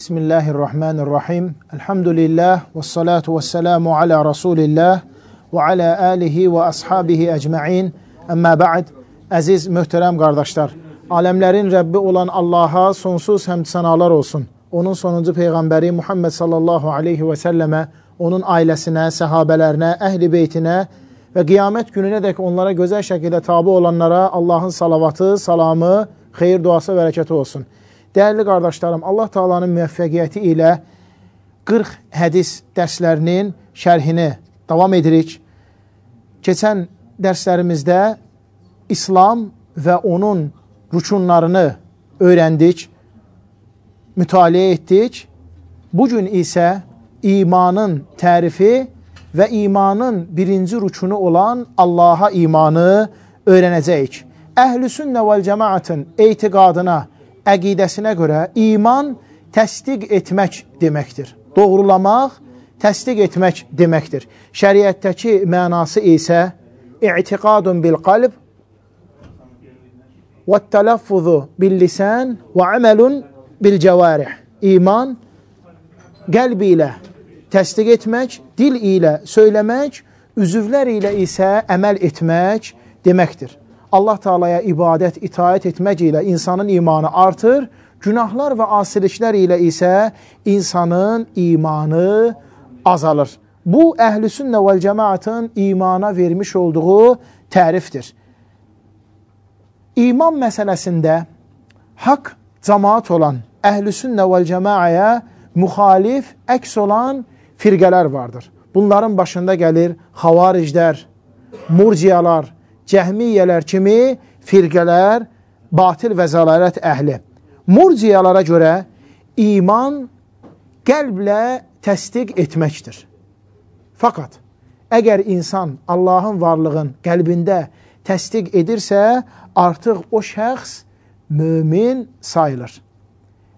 Bismillahirrahmanirrahim. Elhamdülillah və salatu və selamu ala Rasulillah və ala alihi və ashabihi əcma'in. Əmmə ba'd. Əziz, möhtərəm qardaşlar, aləmlərin Rəbbi olan Allaha sonsuz həmd sənalar olsun. Onun sonuncu Peyğəmbəri Muhammed sallallahu aleyhi və səlləmə, onun ailəsinə, səhabələrinə, əhl-i beytinə və qiyamət gününə dək onlara gözəl şəkildə tabi olanlara Allahın salavatı, salamı, xeyir, duası, bərəkəti olsun. Dəyərli qardaşlarım, Allah Taala'nın müvəffəqiyyəti ilə 40 hədis dərslərinin şərhini davam edirik. Keçən dərslərimizdə İslam və onun rükunlarını öyrəndik, mütaliə etdik. Bugün isə imanın tərifi və imanın birinci rükunu olan Allaha imanı öyrənəcəyik. Əhl-i sünnə vəl cəmaatın etiqadına, əqidəsinə görə iman təsdiq etmək deməkdir. Doğrulamaq, təsdiq etmək deməkdir. Şəriətdəki mənası isə i'tiqadun bil qalb və tələffuzu bil lisan və əməlun bil cəvarih. İman qəlb ilə təsdiq etmək, dil ilə söyləmək, üzvlər ilə isə əməl etmək deməkdir. Allah Taala'ya ibadət, itaət etmək ilə insanın imanı artır, günahlar və asiliklər ilə isə insanın imanı azalır. Bu, əhl-i sünnə vəl cəmaatın imana vermiş olduğu tərifdir. İman məsələsində haqq cəmaat olan əhl-i sünnə vəl cəmaaya müxalif, əks olan firqələr vardır. Bunların başında gəlir xavariclər, murciyalar, cəhmiyyələr kimi firqələr, batil və zəlalət əhli. Murciyalara görə iman qəlblə təsdiq etməkdir. Fəqat, əgər insan Allahın varlığın qəlbində təsdiq edirsə, artıq o şəxs mömin sayılır.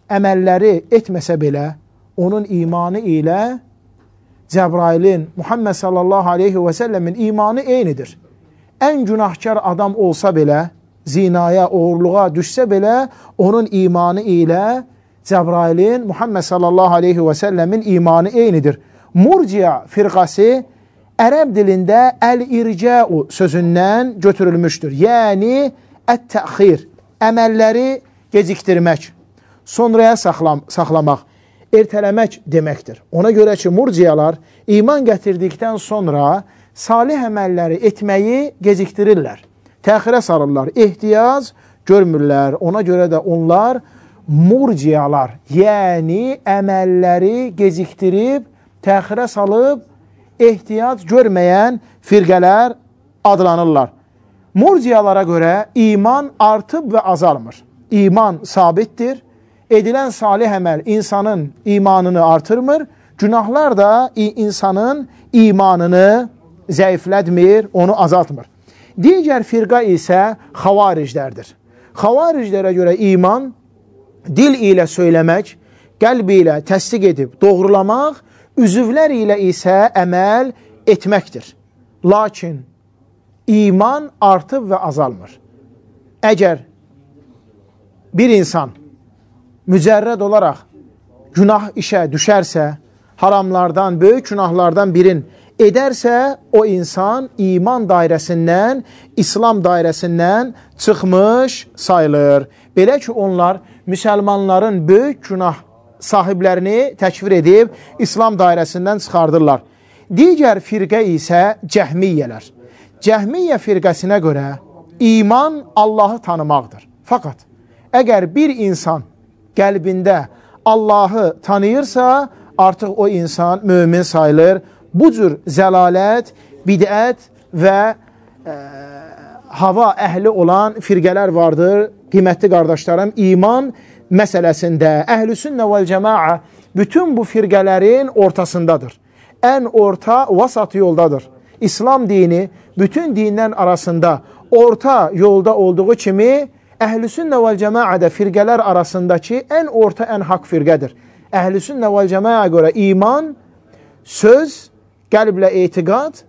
Əməlləri etməsə belə, onun imanı ilə Cəbrailin, Muhammed sallallahu aleyhi və səlləmin imanı eynidir. Ən günahkar adam olsa belə, zinaya, oğurluğa düşsə belə, onun imanı ilə Cəbrailin, Muhammed sallallahu aleyhi və səlləmin imanı eynidir. Murciya firqası ərəb dilində əl-ircəu sözündən götürülmüşdür. Yəni, ət-təxir, əməlləri gecikdirmək, sonraya saxlamaq, ertələmək deməkdir. Ona görə ki, murciyalar iman gətirdikdən sonra salih əməlləri etməyi gecikdirirlər, təxirə salırlar, ehtiyac görmürlər. Ona görə də onlar murciyalar, yəni əməlləri gecikdirib, təxirə salıb, ehtiyac görməyən firqələr adlanırlar. Murciyalara görə iman artıb və azalmır. İman sabitdir, edilən salih əməl insanın imanını artırmır, günahlar da insanın imanını zəiflətmir, onu azaltmır. Digər firqa isə xavariclərdir. Xavariclərə görə iman dil ilə söyləmək, qəlb ilə təsdiq edib doğrulamaq, üzvlər ilə isə əməl etməkdir. Lakin iman artıb və azalmır. Əgər bir insan mücərrəd olaraq günah işə düşərsə, haramlardan, böyük günahlardan birin edərsə, o insan iman dairəsindən, İslam dairəsindən çıxmış sayılır. Belə ki, onlar müsəlmanların böyük günah sahiblərini təkfir edib, İslam dairəsindən çıxardırlar. Digər firqə isə cəhmiyyələr. Cəhmiyyə firqəsinə görə iman Allahı tanımaqdır. Fəqat, əgər bir insan qəlbində Allahı tanıyırsa, artıq o insan mömin sayılır. Bu cür zəlalət, bidət və hava əhli olan firqələr vardır. Qiymətli qardaşlarım, iman məsələsində əhl-i sünnə vəl cəmaa bütün bu firqələrin ortasındadır. Ən orta, vasat yoldadır. İslam dini bütün dinlər arasında orta yolda olduğu kimi, əhl-i sünnə vəl cəmaa da firqələr arasındakı ən orta, ən haqq firqədir. Əhl-i sünnə vəl cəmaa görə iman, söz, qəlblə etiqad,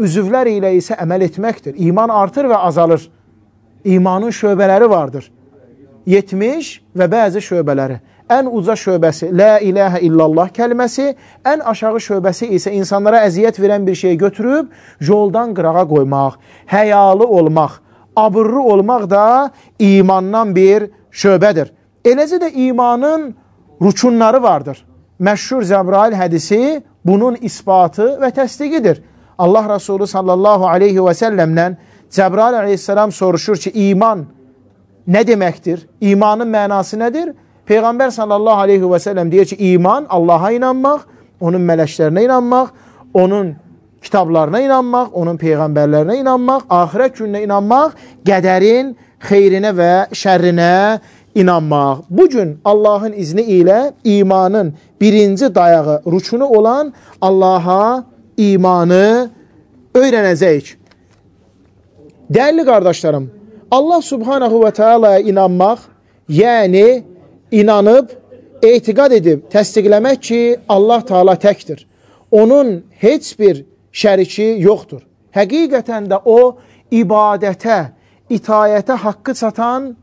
üzvlər ilə isə əməl etməkdir. İman artır və azalır. İmanın şöbələri vardır. 70 və bəzi şöbələri. ən uca şöbəsi la ilahə illallah kəlməsi, ən aşağı şöbəsi isə insanlara əziyyət verən bir şeyi götürüb yoldan qırağa qoymaq, həyalı olmaq, abırlı olmaq da imandan bir şöbədir. Eləcə də imanın rükunları vardır. Məşhur Cəbrail hədisi bunun isbatı və təsdiqidir. Allah Resulü sallallahu aleyhi və səlləmdən Cəbrail aleyhisselam soruşur ki, iman nə deməkdir? İmanın mənası nədir? Peyğəmbər sallallahu aleyhi və səlləm deyir ki, iman Allaha inanmaq, onun mələklərinə inanmaq, onun kitablarına inanmaq, onun peyğəmbərlərinə inanmaq, axirət gününə inanmaq, qədərin xeyrinə və şərrinə inanmaq. Bugün Allahın izni ilə imanın birinci dayağı, rükunu olan Allaha imanı öyrənəcəyik. Dəyərli qardaşlarım, Allah subhanahu və teala'ya inanmaq, yəni inanıb, etiqad edib, təsdiqləmək ki, Allah Teala təkdir. Onun heç bir şəriki yoxdur. Həqiqətən də o, ibadətə, itayətə haqqı çatan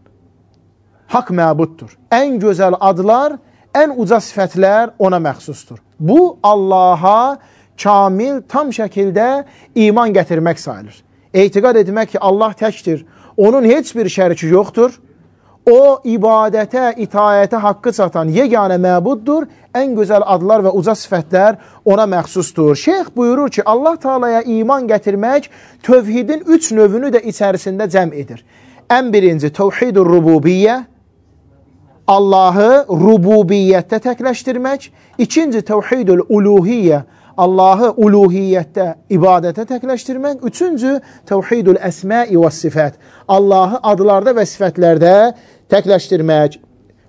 haqq məbuddur. Ən gözəl adlar, ən uca sifətlər ona məxsusdur. Bu, Allaha kamil, tam şəkildə iman gətirmək sayılır. Etiqad etmək ki, Allah təkdir, onun heç bir şəriki yoxdur. O, ibadətə, itayətə haqqı çatan yeganə məbuddur. Ən gözəl adlar və uca sifətlər ona məxsusdur. Şeyx buyurur ki, Allah Teala'ya iman gətirmək tövhidin 3 növünü də içərisində cəm edir. Ən birinci, təvhid-ül rububiyyə, Allahı rububiyyətdə təkləşdirmək. İkinci, təvhid-ül uluhiyyə, Allahı uluhiyyətdə, ibadətə təkləşdirmək. Üçüncü, təvhid-ül əsmai və sifət, Allahı adlarda və sifətlərdə təkləşdirmək.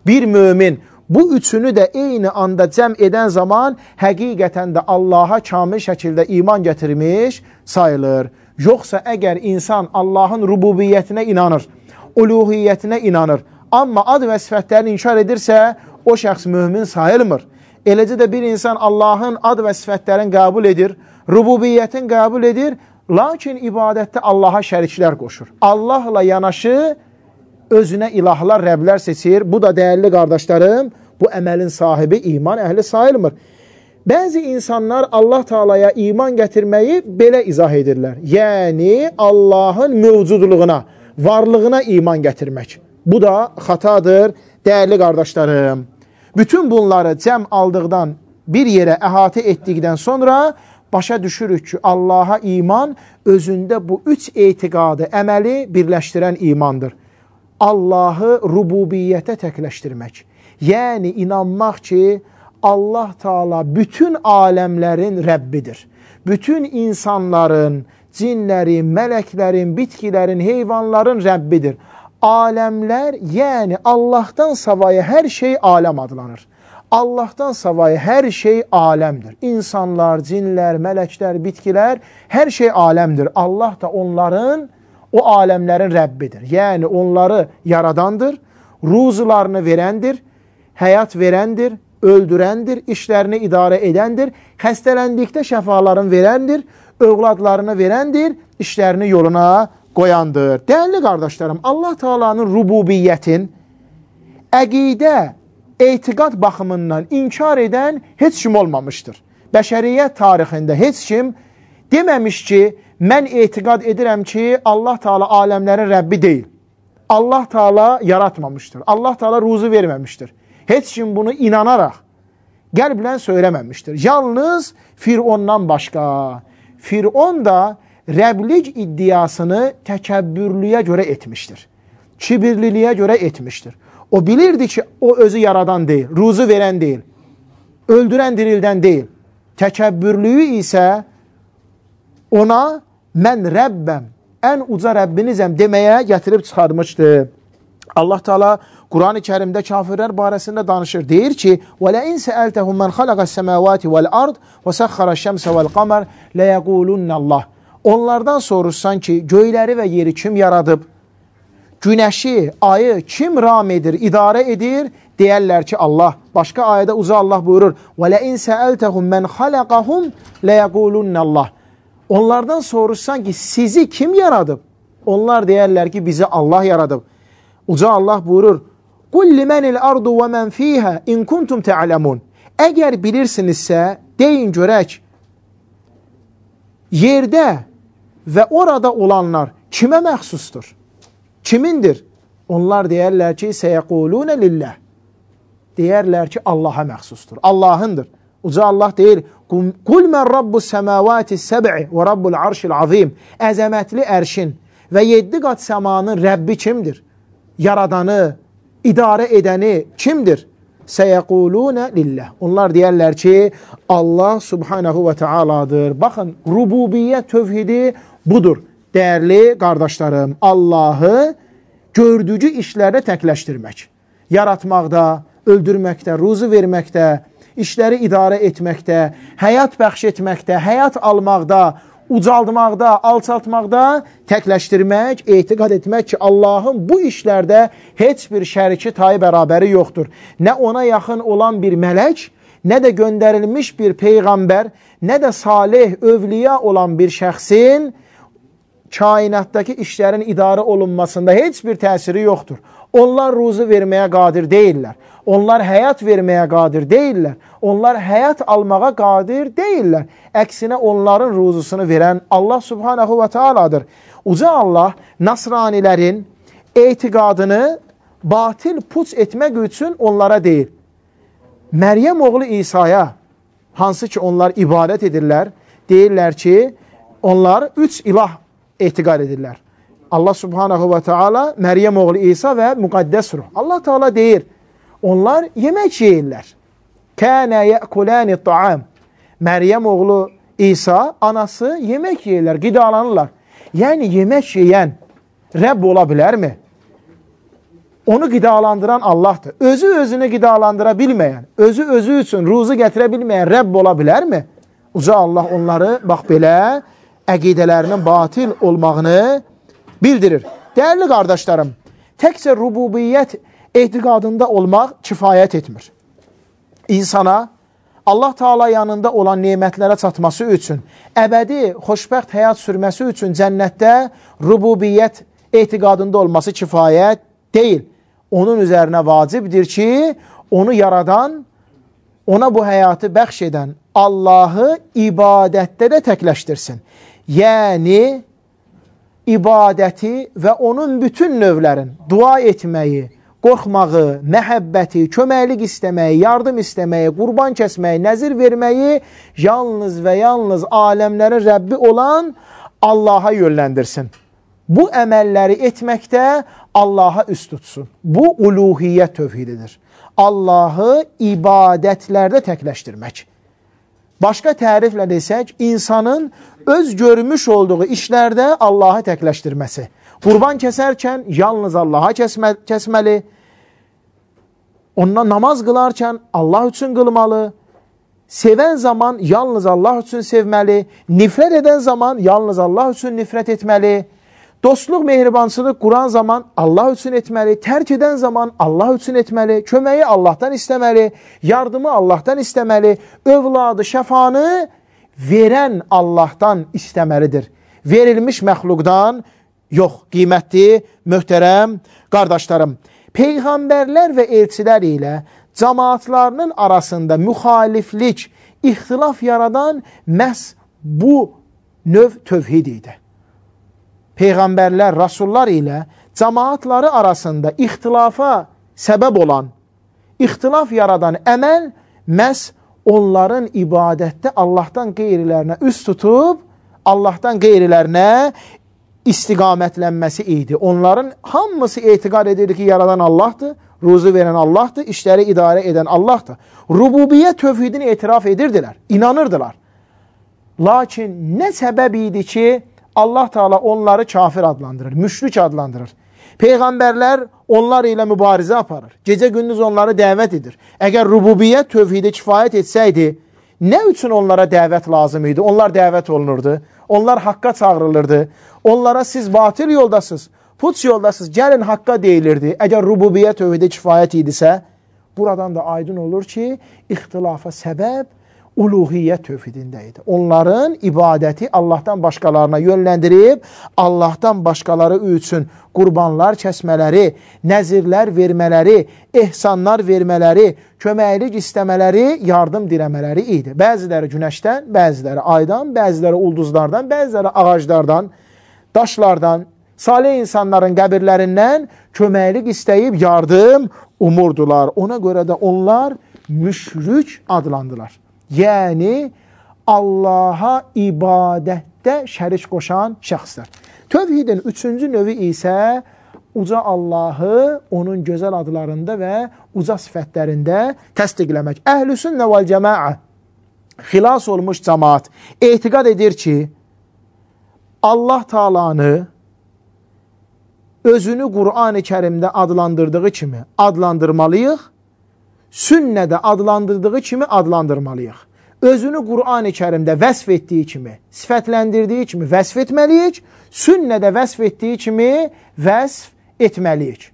Bir mömin bu üçünü də eyni anda cəm edən zaman həqiqətən də Allaha kamil şəkildə iman gətirmiş sayılır. Yoxsa əgər insan Allahın rububiyyətinə inanır, uluhiyyətinə inanır, amma ad və sifətlərini inkar edirsə, o şəxs mömin sayılmır. Eləcə də bir insan Allahın ad və sifətlərini qəbul edir, rububiyyətin qəbul edir, lakin ibadətdə Allaha şəriklər qoşur. Allahla yanaşı özünə ilahlar, rəblər seçir. Bu da dəyərli qardaşlarım, bu əməlin sahibi iman əhli sayılmır. Bəzi insanlar Allah Teala'ya iman gətirməyi belə izah edirlər. Yəni, Allahın mövcudluğuna, varlığına iman gətirmək. Bu da xatadır, dəyərli qardaşlarım. Bütün bunları cəm aldıqdan, bir yerə əhatə etdikdən sonra başa düşürük ki, Allaha iman özündə bu 3 etiqadı, əməli birləşdirən imandır. Allahı rububiyyətə təkləşdirmək. Yəni, inanmaq ki, Allah Teala bütün aləmlərin Rəbbidir. Bütün insanların, cinlərin, mələklərin, bitkilərin, heyvanların Rəbbidir. Aləmlər, yəni Allahdan savayı hər şey aləm adlanır. Allahdan savayı hər şey aləmdir. İnsanlar, cinlər, mələklər, bitkilər, hər şey aləmdir. Allah da onların, o aləmlərin Rəbbidir. Yəni onları yaradandır, ruzularını verəndir, həyat verəndir, öldürəndir, işlərini idarə edəndir, xəstələndikdə şəfalarını verəndir, övladlarını verəndir, işlərini yoluna qoyandır. Dəyərli qardaşlarım, Allah Teala'nın rububiyyətin əqidə, etiqad baxımından inkar edən heç kim olmamışdır. Bəşəriyyət tarixində heç kim deməmiş ki, mən etiqad edirəm ki, Allah Teala aləmlərin Rəbbi deyil. Allah Teala yaratmamışdır. Allah Teala ruzu verməmişdir. Heç kim bunu inanaraq, qəlblə söyləməmişdir. Yalnız Firondan başqa. Firon da Rəblik iddiasını təkəbbürlüyə görə etmişdir. Kibirliliyə görə etmişdir. O bilirdi ki, o özü yaradan deyil, ruzu verən deyil, öldürən dirildən deyil. Təkəbbürlüyü isə ona mən Rəbbəm, ən uca Rəbbinizəm deməyə gətirib çıxarmışdı. Allah Teala Quran-ı Kərimdə kafirlər barəsində danışır. Deyir ki, وَلَئِنْ سَأَلْتَهُمْ مَنْ خَلَقَ السَّمَاوَاتِ وَالْأَرْضِ وَسَخَّرَ الشَّمْسَ وَالْقَمَرِ لَيَقُولُنَّ اللّٰهِ Onlardan soruşsan ki, göyləri və yeri kim yaradıb, günəşi, ayı kim ram edir, idarə edir, deyərlər ki, Allah. Başqa ayədə uca Allah buyurur, وَلَئِنْ سَأَلْتَهُمْ مَنْ خَلَقَهُمْ لَيَقُولُنَّ اللّٰهِ Onlardan soruşsan ki, sizi kim yaradıb? Onlar deyərlər ki, bizi Allah yaradıb. Uca Allah buyurur, Qul limenil ardu və mən fiyhə in kuntum tə'ləmun. Əgər bilirsinizsə, deyin görək, yerdə və orada olanlar kimə məxsusdur? Kimindir? Onlar deyərlər ki, səyəqulunə lilləh. Deyərlər ki, Allaha məxsusdur. Allahındır. Uca Allah deyir, Qul mən rabbus səməvati səb'i və rabbul arşil azim. Əzəmətli ərşin və 7 qat səmanın Rəbbi kimdir? Yaradanı, idarə edəni kimdir? Səyəqulunə lilləh. Onlar deyərlər ki, Allah subhanahu və tealadır. Baxın, rububiyyət tövhidi budur. Dəyərli qardaşlarım, Allahı gördüyü işlərdə təkləşdirmək. Yaratmaqda, öldürməkdə, ruzu verməkdə, işləri idarə etməkdə, həyat bəxş etməkdə, həyat almaqda, ucaldmaqda, alçaltmaqda təkləşdirmək, etiqad etmək ki, Allahın bu işlərdə heç bir şəriki tayı bərabəri yoxdur. Nə ona yaxın olan bir mələk, nə də göndərilmiş bir peyğəmbər, nə də salih, övliya olan bir şəxsin kainatdakı işlərin idarə olunmasında heç bir təsiri yoxdur. Onlar ruzu verməyə qadir deyirlər. Onlar həyat verməyə qadir deyirlər. Onlar həyat almağa qadir deyirlər. Əksinə onların ruzusunu verən Allah subhanahu və tealadır. Uca Allah nasranilərin etiqadını batil puç etmək üçün onlara deyir. Məryəm oğlu İsa'ya, hansı ki onlar ibadət edirlər, deyirlər ki, onlar 3 ilah etiqad edirlər. Allah subhanahu və teala, Məryəm oğlu İsa və müqəddəs ruh. Allah teala deyir, onlar yemək yeyirlər. Kənə yəkuləni ta'am. Məryəm oğlu İsa, anası yemək yeyirlər, qidalanırlar. Yəni yemək yeyən Rəbb ola bilərmi? Onu qidalandıran Allahdır. Özü özünü qidalandıra bilməyən, özü üçün ruzu gətirə bilməyən Rəbb ola bilərmi? Uca Allah onları bax belə əqidələrinin batil olmağını bildirir. Dəyərli qardaşlarım, təkcə rububiyyət etiqadında olmaq kifayət etmir. İnsana Allah Teala yanında olan nemətlərə çatması üçün, əbədi, xoşbəxt həyat sürməsi üçün cənnətdə rububiyyət etiqadında olması kifayət deyil. Onun üzərinə vacibdir ki, onu yaradan, ona bu həyatı bəxş edən Allahı ibadətdə də təkləşdirsin. Yəni, ibadəti və onun bütün növlərin dua etməyi, qorxmağı, məhəbbəti, köməklik istəməyi, yardım istəməyi, qurban kəsməyi, nəzir verməyi yalnız və yalnız aləmlərin Rəbbi olan Allaha yönləndirsin. Bu əməlləri etməkdə Allaha üst tutsun. Bu uluhiyyət tövhididir. Allahı ibadətlərdə təkləşdirmək. Başqa təriflə desək, insanın öz görmüş olduğu işlərdə Allahı təkləşdirməsi. Qurban kəsərkən yalnız Allaha kəsməli, ondan namaz qılarkən Allah üçün qılmalı, sevən zaman yalnız Allah üçün sevməli, nifrət edən zaman yalnız Allah üçün nifrət etməli, dostluq, mehribançılıq quran zaman Allah üçün etməli, tərk edən zaman Allah üçün etməli, köməyi Allahdan istəməli, yardımı Allahdan istəməli, övladı, şəfanı verən Allahdan istəməlidir. Verilmiş məxluqdan yox. Qiymətli, möhtərəm qardaşlarım, peyğəmbərlər və elçilər ilə cəmaatlarının arasında müxaliflik, ixtilaf yaradan məhz bu növ tövhid idi. Peyğəmbərlər, rasullar ilə cəmaatları arasında ixtilafa səbəb olan, ixtilaf yaradan əməl məhz onların ibadətdə Allahdan qeyrilərinə üst tutub, Allahdan qeyrilərinə istiqamətlənməsi idi. Onların hamısı etiqad edirdi ki, yaradan Allahdır, ruzu verən Allahdır, işləri idarə edən Allahdır. Rububiyyət tövhidini etiraf edirdilər, inanırdılar. Lakin nə səbəb idi ki, Allah Teala onları kafir adlandırır, müşrik adlandırır. Peyğəmbərlər onlar ilə mübarizə aparır. Gecə-gündüz onları dəvət edir. Əgər rububiyyət tövhidi kifayət etsəydi, nə üçün onlara dəvət lazım idi? Onlar dəvət olunurdu. Onlar haqqa çağırılırdı. Onlara siz batil yoldasınız, puç yoldasınız, gəlin haqqa deyilirdi. Əgər rububiyyət tövhidi kifayət idisə, buradan da aydın olur ki, ixtilafa səbəb uluhiyyət tövhidində idi. Onların ibadəti Allahdan başqalarına yönləndirib, Allahdan başqaları üçün qurbanlar kəsmələri, nəzirlər vermələri, ehsanlar vermələri, köməklik istəmələri, yardım diləmələri idi. Bəziləri günəşdən, bəziləri aydan, bəziləri ulduzlardan, bəziləri ağaclardan, daşlardan, salih insanların qəbirlərindən köməklik istəyib yardım umurdular. Ona görə də onlar müşrik adlandılar. Yəni, Allaha ibadətdə şərik qoşan şəxslər. Tövhidin üçüncü növü isə uca Allahı onun gözəl adlarında və uca sifətlərində təsdiqləmək. Əhlüsünnə vəl cəmaə, xilas olmuş cəmaat etiqad edir ki, Allah Taalanı özünü Qur'an-ı Kərimdə adlandırdığı kimi adlandırmalıyıq, sünnədə adlandırdığı kimi adlandırmalıyıq. Özünü Qur'an-ı Kərimdə vəsf etdiyi kimi, sifətləndirdiyi kimi vəsf etməliyik, sünnədə vəsf etdiyi kimi vəsf etməliyik.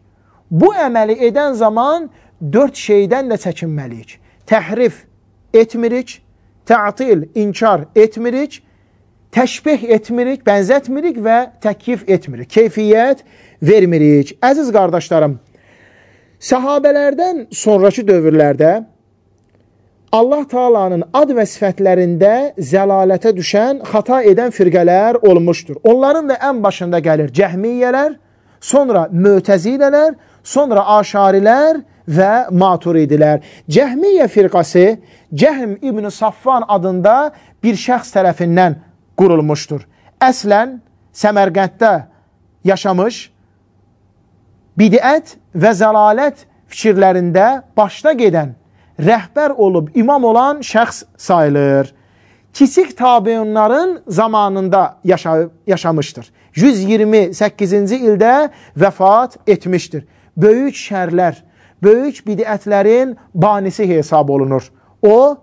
Bu əməli edən zaman 4 şeydən də çəkinməliyik. Təhrif etmirik, tə'til, inkar etmirik, təşbih etmirik, bənzətmirik və təkyif etmirik, keyfiyyət vermirik. Əziz qardaşlarım, səhabələrdən sonraki dövrlərdə Allah Taalanın ad və sifətlərində zəlalətə düşən, xata edən firqələr olmuşdur. Onların da ən başında gəlir Cəhmiyyələr, sonra Mötəzilələr, sonra Aşarilər və Maturidilər. Cəhmiyyə firqası Cəhm İbn Safvan adında bir şəxs tərəfindən qurulmuşdur. Əslən Səmərqənddə yaşamış, bidət və zəlalət fikirlərində başda gedən, rəhbər olub imam olan şəxs sayılır. Kiçik tabiunların zamanında yaşamışdır. 128-ci ildə vəfat etmişdir. Böyük şərlər, böyük bidətlərin banisi hesab olunur. O,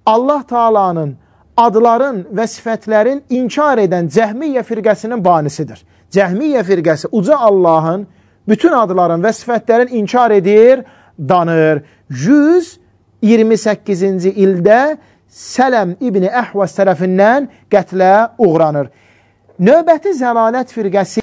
Allah Taalanın adların və sifətlərin inkar edən Cəhmiyyə firqəsinin banisidir. Cəhmiyyə firqəsi uca Allahın bütün adların və sifətlərin inkar edir, danır. 128-ci ildə Sələm İbni Əhvəz tərəfindən qətlə uğranır. Növbəti zəlalət firqəsi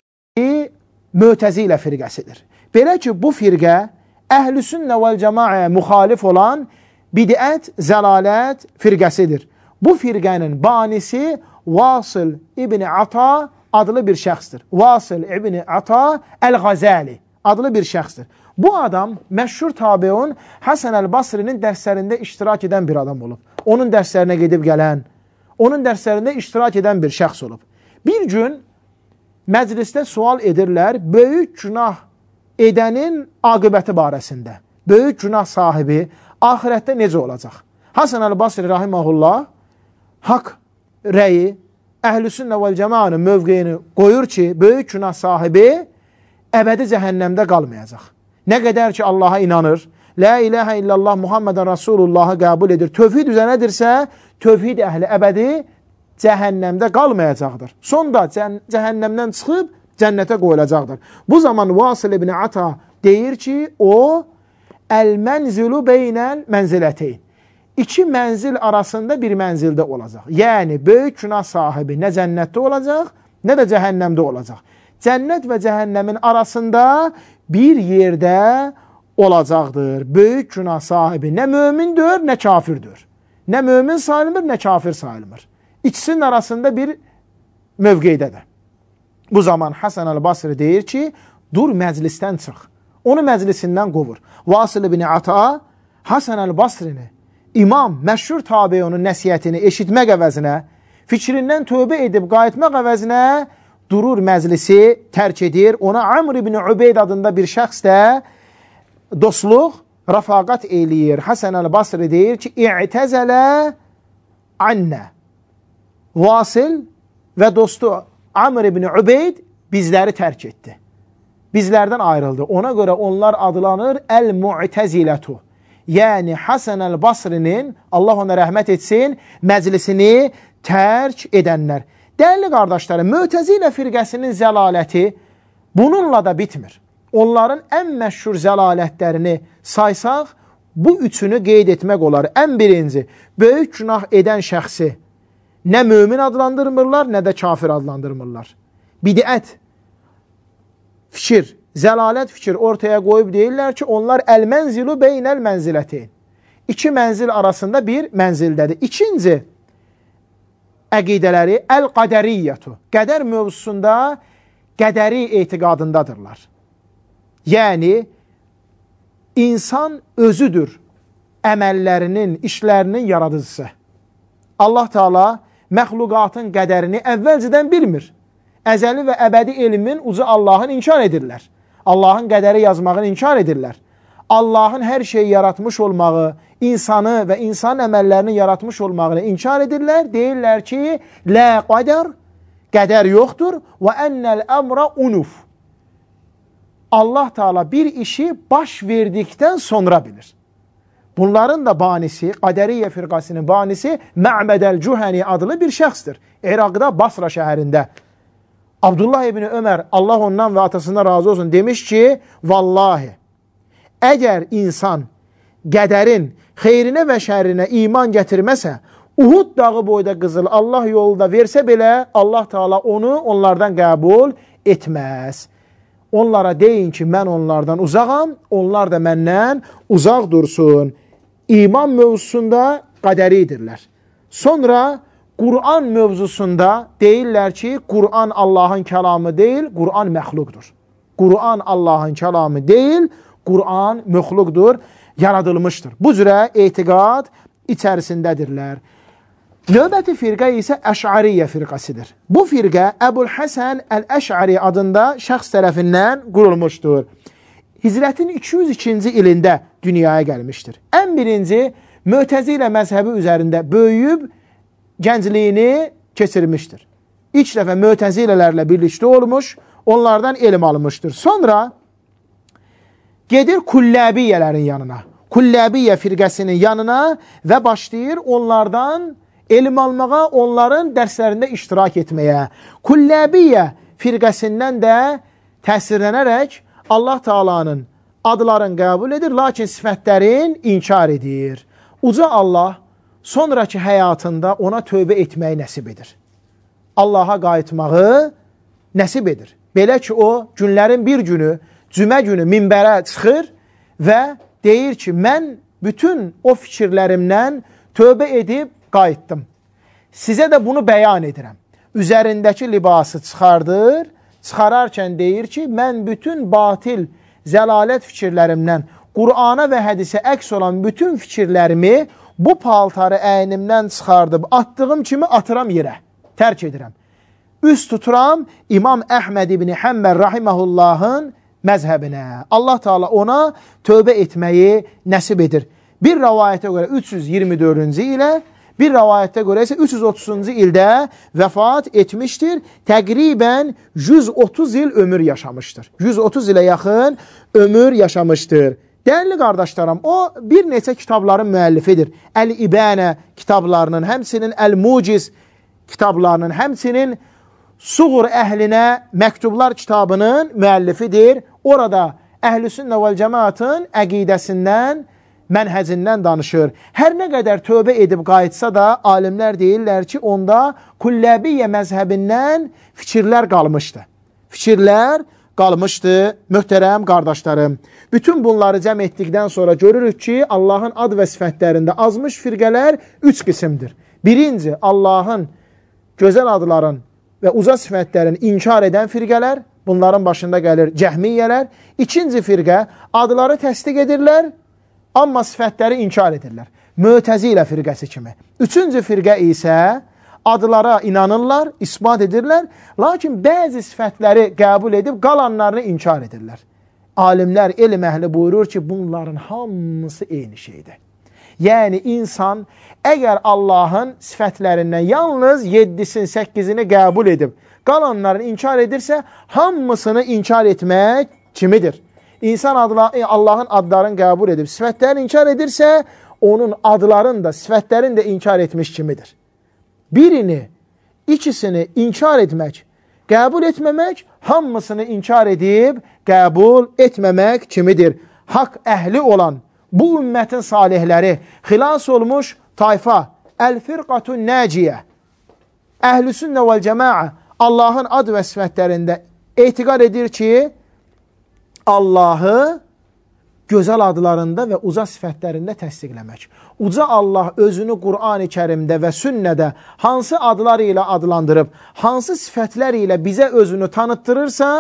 Mötəzilə firqəsidir. Belə ki, bu firqə Əhlüsünnə vəl cəmaəyə müxalif olan bidət, zəlalət firqəsidir. Bu firqənin banisi Vasıl İbni Ata adlı bir şəxsdir. Vasıl İbni Ata Əl-Ğazəli adlı bir şəxsdir. Bu adam məşhur tabiun Həsən Əl-Basrinin dərslərində iştirak edən bir adam olub. Onun dərslərinə gedib gələn, onun dərslərində iştirak edən bir şəxs olub. Bir gün məclisdə sual edirlər böyük günah edənin aqibəti barəsində. Böyük günah sahibi ahirətdə necə olacaq? Həsən Əl-Basri rahiməhullah haqq rəyi, Əhlüsünnə vəl cəmaənin mövqeyini qoyur ki, böyük günah sahibi əbədi cəhənnəmdə qalmayacaq. Nə qədər ki, Allaha inanır, La ilahə illallah Muhammedən Rasulullahı qəbul edir, tövhid üzərədirsə, tövhid əhli əbədi cəhənnəmdə qalmayacaqdır. Sonda cəhənnəmdən çıxıb cənnətə qoyulacaqdır. Bu zaman Vasıl ibn Ata deyir ki, o, əl-mənzilu beynəl mənziləteyn. İki mənzil arasında bir mənzildə olacaq. Yəni, böyük günah sahibi nə cənnətdə olacaq, nə də cəhənnəmdə olacaq. Cənnət və cəhənnəmin arasında bir yerdə olacaqdır. Böyük günah sahibi nə mömindir, nə kafirdir. Nə mömin sayılmır, nə kafir sayılmır. İkisinin arasında bir mövqeydədir. Bu zaman Həsən Əl-Basri deyir ki, dur məclisdən çıx. Onu məclisindən qovur. Vasıl ibn Ata Həsən Əl-Basrini, imam, məşhur tabiunun nəsiyyətini eşitmək əvəzinə, fikrindən tövbə edib qayıtmaq əvəzinə durur məclisi tərk edir. Ona Amr ibn Ubeyd adında bir şəxs də dostluq, rəfaqat eləyir. Həsən Əl-Basri deyir ki, İ'təzələ annə. Vasıl və dostu Amr ibn Ubeyd bizləri tərk etdi. Bizlərdən ayrıldı. Ona görə onlar adlanır Əl-Mu'təzilətu. Yəni Həsən Əl-Basrinin, Allah ona rəhmət etsin, məclisini tərk edənlər. Dəyərli qardaşlarım, Mötəzilə firqəsinin zəlaləti bununla da bitmir. Onların ən məşhur zəlalətlərini saysaq, bu üçünü qeyd etmək olar. Ən birinci, böyük günah edən şəxsi nə mömin adlandırmırlar, nə də kafir adlandırmırlar. Bidət, fikir, zəlalət fikir ortaya qoyub deyirlər ki, onlar əl-mənzilu beynəl mənzilətin. İki mənzil arasında bir mənzildədir. İkinci əqidələri əl-qədəriyyətu. Qədər mövzusunda qədəri etiqadındadırlar. Yəni, insan özüdür əməllərinin, işlərinin yaradıcısı. Allah Teala məxluqatın qədərini əvvəlcədən bilmir. Əzəli və əbədi elmin ucu Allahın inkar edirlər. Allahın qədəri yazmağını inkar edirlər. Allahın hər şeyi yaratmış olmağı, insanı və insan əməllərini yaratmış olmağını inkar edirlər. Deyirlər ki, lə qədər, qədər yoxdur və ennəl əmra unuf. Allah Teala bir işi baş verdikdən sonra bilir. Bunların da banisi, Qədəriyyə firqasının banisi Mə'bədəl Cühəni adlı bir şəxsdir. İraqda Basra şəhərində. Abdullah ibn Ömər, Allah ondan və atasından razı olsun, demiş ki, vallahi, əgər insan qədərin xeyrinə və şərrinə iman gətirməsə, Uhud dağı boyda qızıl Allah yolunda versə belə, Allah Teala onu onlardan qəbul etməz. Onlara deyin ki, mən onlardan uzağam, onlar da məndən uzaq dursun. İman mövzusunda qədəridirlər. Sonra Qur'an mövzusunda deyirlər ki, Qur'an Allahın kəlamı deyil, Qur'an məxluqdur. Qur'an Allahın kəlamı deyil, Qur'an məxluqdur, yaradılmışdır. Bu cürə etiqad içərisindədirlər. Növbəti firqə isə Əş'ariyyə firqəsidir. Bu firqə Əbul Həsən Əl-Əş'ari adında şəxs tərəfindən qurulmuşdur. Hicrətin 202-ci ilində dünyaya gəlmişdir. Ən birinci, Mötəzilə məzhəbi üzərində böyüyüb gəncliyini keçirmişdir. İlk dəfə Mötəzilələrlə birlikdə olmuş, onlardan elm almışdır. Sonra gedir Kulləbiyyələrin yanına, Kulləbiyyə firqəsinin yanına və başlayır onlardan elm almağa, onların dərslərində iştirak etməyə. Kulləbiyyə firqəsindən də təsirlənərək Allah Teala'nın adlarını qəbul edir, lakin sifətlərin inkar edir. Uca Allah sonraki həyatında ona tövbə etməyi nəsib edir. Allaha qayıtmağı nəsib edir. Belə ki, o günlərin bir günü, cümə günü minbərə çıxır və deyir ki, mən bütün o fikirlərimdən tövbə edib qayıtdım. Sizə də bunu bəyan edirəm. Üzərindəki libası çıxardır, çıxararkən deyir ki, mən bütün batil, zəlalət fikirlərimdən, Qur'ana və hədisə əks olan bütün fikirlərimi bu paltarı əynimdən çıxardıb, attığım kimi atıram yerə, tərk edirəm. Üst tuturam İmam Əhməd ibn Həmbəl rahiməhullahın məzhəbinə. Allah Teala ona tövbə etməyi nəsib edir. Bir rəvayətə görə 324-cü ilə, bir rəvayətə görə isə 330-cu ildə vəfat etmişdir. Təqribən 130 il ömür yaşamışdır. 130 ilə yaxın ömür yaşamışdır. Dəyərli qardaşlarım, o bir neçə kitabların müəllifidir. Əl-İbənə kitablarının, həmsinin Əl-Muciz kitablarının, həmsinin Suğur əhlinə məktublar kitabının müəllifidir. Orada Əhl-i-Sünnə vəl-Cəmaatın əqidəsindən, mənhəcindən danışır. Hər nə qədər tövbə edib qayıtsa da, alimlər deyirlər ki, onda Kulləbiyyə məzhəbindən fikirlər qalmışdı. Fikirlər qalmışdı, möhtərəm qardaşlarım. Bütün bunları cəm etdikdən sonra görürük ki, Allahın ad və sifətlərində azmış firqələr 3 qismdir. Birinci, Allahın gözəl adların və uca sifətlərin inkar edən firqələr, bunların başında gəlir cəhmiyyələr. İkinci firqə, adları təsdiq edirlər, amma sifətləri inkar edirlər. Mötəzilə firqəsi kimi. Üçüncü firqə isə adlara inanırlar, isbat edirlər, lakin bəzi sifətləri qəbul edib qalanlarını inkar edirlər. Alimlər, elm əhli buyurur ki, bunların hamısı eyni şeydir. Yəni, insan əgər Allahın sifətlərindən yalnız 7-sin, 8-ini qəbul edib, qalanlarını inkar edirsə, hamısını inkar etmək kimidir? İnsan Allahın adlarını qəbul edib, sifətlərini inkar edirsə, onun adlarını da, sifətlərini də inkar etmiş kimidir? Birini, ikisini inkar etmək, qəbul etməmək, hamısını inkar edib, qəbul etməmək kimidir? Haqq əhli olan, bu ümmətin salihləri, xilas olmuş tayfa, Əl-Firqatun Nəciyə, Əhl-Sünnə vəl-Cəmaə Allahın ad və sifətlərində etiqad edir ki, Allahı gözəl adlarında və uca sifətlərində təsdiqləmək. Uca Allah özünü Qur'an-ı Kərimdə və sünnədə hansı adlar ilə adlandırıb, hansı sifətlər ilə bizə özünü tanıtdırırsa,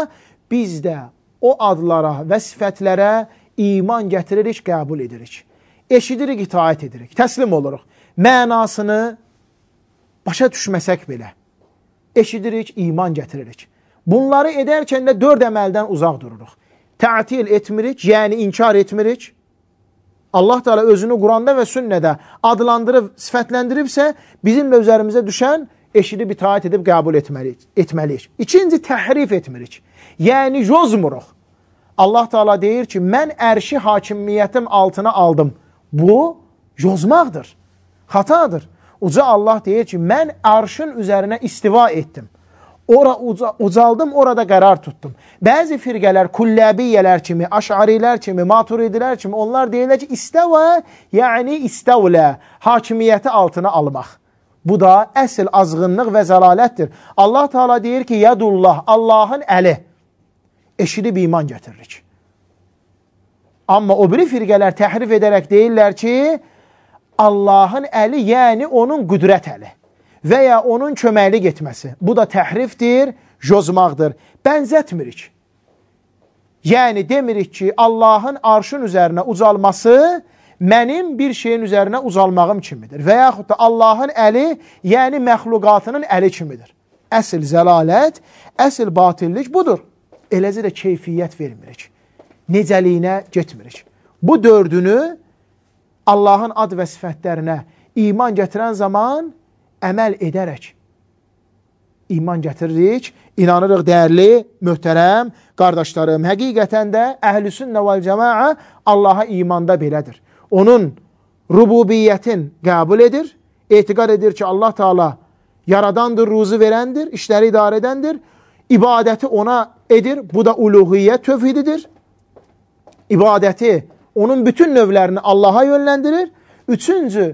biz də o adlara və sifətlərə iman gətiririk, qəbul edirik. Eşidirik, itaət edirik, təslim oluruq. Mənasını başa düşməsək belə, eşidirik, iman gətiririk. Bunları edərkən də 4 əməldən uzaq dururuq. Tə'til etmirik, yəni inkar etmirik. Allah Teala özünü Quranda və sünnədə adlandırıb, sifətləndiribsə, bizim də üzərimizə düşən eşidib, itaət edib, qəbul etməliyik. İkinci, təhrif etmirik. Yəni, yozmuruq. Allah Teala deyir ki, mən ərşi hakimiyyətim altına aldım. Bu, yozmaqdır, xatadır. Uca Allah deyir ki, mən arşın üzərinə istiva etdim. Ucaldım, orada qərar tutdum. Bəzi firqələr, kulləbiyyələr kimi, aşarilər kimi, maturidilər kimi, onlar deyirlər ki, istəvə, yəni istəvlə, hakimiyyəti altına almaq. Bu da əsl azğınlıq və zəlalətdir. Allah Teala deyir ki, yədullah, Allahın əli. Eşidib iman gətiririk. Amma o biri firqələr təhrif edərək deyirlər ki, Allahın əli, yəni onun qüdrət əli və ya onun köməklik etməsi. Bu da təhrifdir, yozmaqdır. Bənzətmirik. Yəni demirik ki, Allahın arşın üzərinə ucalması mənim bir şeyin üzərinə ucalmağım kimidir. Və yaxud da Allahın əli, yəni məxluqatının əli kimidir. Əsl zəlalət, əsl batillik budur. Eləcə də keyfiyyət vermirik. Necəliyinə getmirik. Bu 4-ünü Allahın ad və sifətlərinə iman gətirən zaman əməl edərək iman gətiririk, inanırıq dəyərli, möhtərəm qardaşlarım. Həqiqətən də Əhl-Sünnə vəl-Cəmaə Allaha imanda belədir. Onun rububiyyətin qəbul edir, etiqad edir ki, Allah Teala yaradandır, ruzu verəndir, işləri idarə edəndir, ibadəti ona edir, bu da uluhiyyət tövhididir. İbadəti, onun bütün növlərini Allaha yönləndirir. Üçüncü,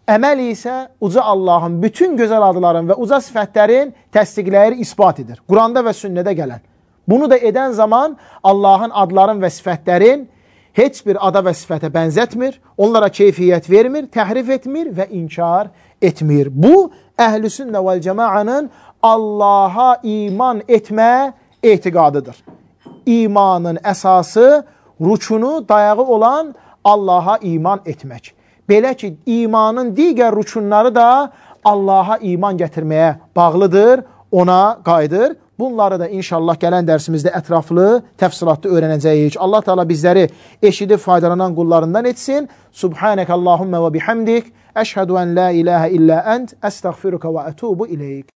əməl isə uca Allahın bütün gözəl adların və uca sifətlərin təsdiqləyir, ispat edir. Quranda və sünnədə gələn. Bunu da edən zaman Allahın adların və sifətlərin heç bir ada və sifətə bənzətmir, onlara keyfiyyət vermir, təhrif etmir və inkar etmir. Bu, Əhl-Sünnə vəl-Cəmaənin Allaha iman etmə etiqadıdır. İmanın əsası, rükunu, dayağı olan Allaha iman etmək. Belə ki, imanın digər rükunları da Allaha iman gətirməyə bağlıdır, ona qayıdır. Bunları da inşallah gələn dərsimizdə ətraflı, təfsilatlı öyrənəcəyik. Allah Teala bizləri eşidib faydalanan qullarından etsin. Subhanək Allahümmə və bihamdik. Əşhədu ən la iləhə illə ənt. Əstəğfiruka və ətubu iləyik.